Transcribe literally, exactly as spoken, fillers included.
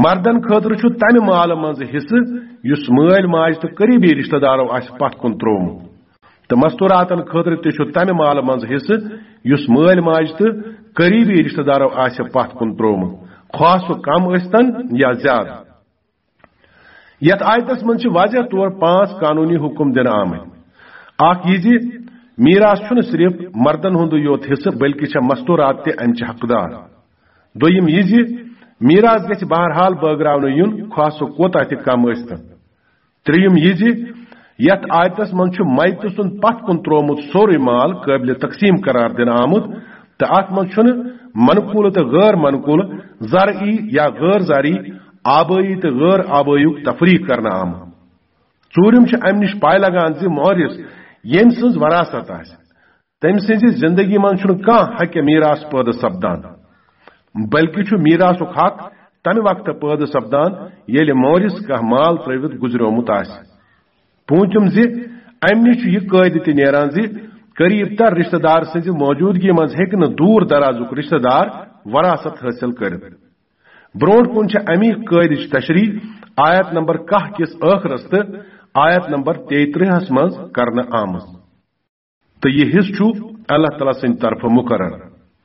مردن خٲطرٕ چھُ تمہِ مالہٕ منٛزٕ حصہٕ یُس مٲلۍ ماجہِ تہٕ قریبی رشتہٕ دارو آسہِ پتھ کُن تروومُت، تہٕ مستوراتن خٲطرٕ تہِ چھُ تمہِ مالہٕ منٛزٕ حصہٕ یُس مٲلۍ ماجہِ تہٕ قریبی رشتہٕ دارو آسہِ پتھ کُن تروومُت، خواہ سُہ کم ٲسۍتن یا زیادٕ۔ یتھ آیتس منٛز چھِ واضح طور پانٛژھ قانونی حکم دِنہٕ آمٕتۍ۔ اکھ یہِ زِ میراث چھُنہٕ صرف مردن ہُنٛدُے یوت حصہٕ، بلکہِ چھےٚ مستورات تہِ امہِ چہِ حقدار۔ دوٚیِم یہِ زِ میراث گژھِ بہرحال بٲگراونہٕ یُن، خواہ سُہ کوتاہ تہِ کم ٲسۍتن۔ ترٛیٚیِم یہِ زِ یتھ آیتس منٛز چھُ میتہٕ سُنٛد پتھ کُن تروومُت سورُے مال قٲبلِ تقسیٖم قرار دِنہٕ آمُت، تہٕ اتھ منٛز چھُنہٕ منقولہٕ تہٕ غٲر منقولہٕ، زرعی یا غٲر زرعی، آبٲیی تہٕ غٲر آبٲییُک تفریق کرنہٕ آمُت۔ ژوٗرِم چھُ امہِ نِش پاے لگان زِ مورث، ییٚمۍ سٕنٛز وراثت آسہِ، تٔمۍ سٕنٛزِ زندگی منٛز چھُنہٕ کانٛہہ حق میراث پٲدٕ سپدان، بلکہِ چھُ میراثُک حق تمہِ وقتہٕ پٲدٕ سپدان، ییٚلہِ مورث کانٛہہ مال ترٲوِتھ گُزریومُت آسہِ۔ پوٗنٛژِم زِ امہِ نِش چھُ یہِ قٲعدٕ تہِ نیران زِ قریب تر رشتہٕ دار سٕنٛزِ موجودگی منٛز ہیٚکہِ نہٕ دوٗر درازُک رشتہٕ دار وراثت حٲصِل کٔرِتھ۔ برونٛٹھ کُن چھِ امی قٲعدٕچ تشریح آیت نمبر کاہ کِس ٲخرس تہٕ آیت نمبر تیٚیہِ ترٛہَس منٛز کرنہٕ آمٕژ۔ تہٕ یہِ حصہٕ چھُ اللہ تعالیٰ سٕنٛدِ طرفہٕ مُقرر۔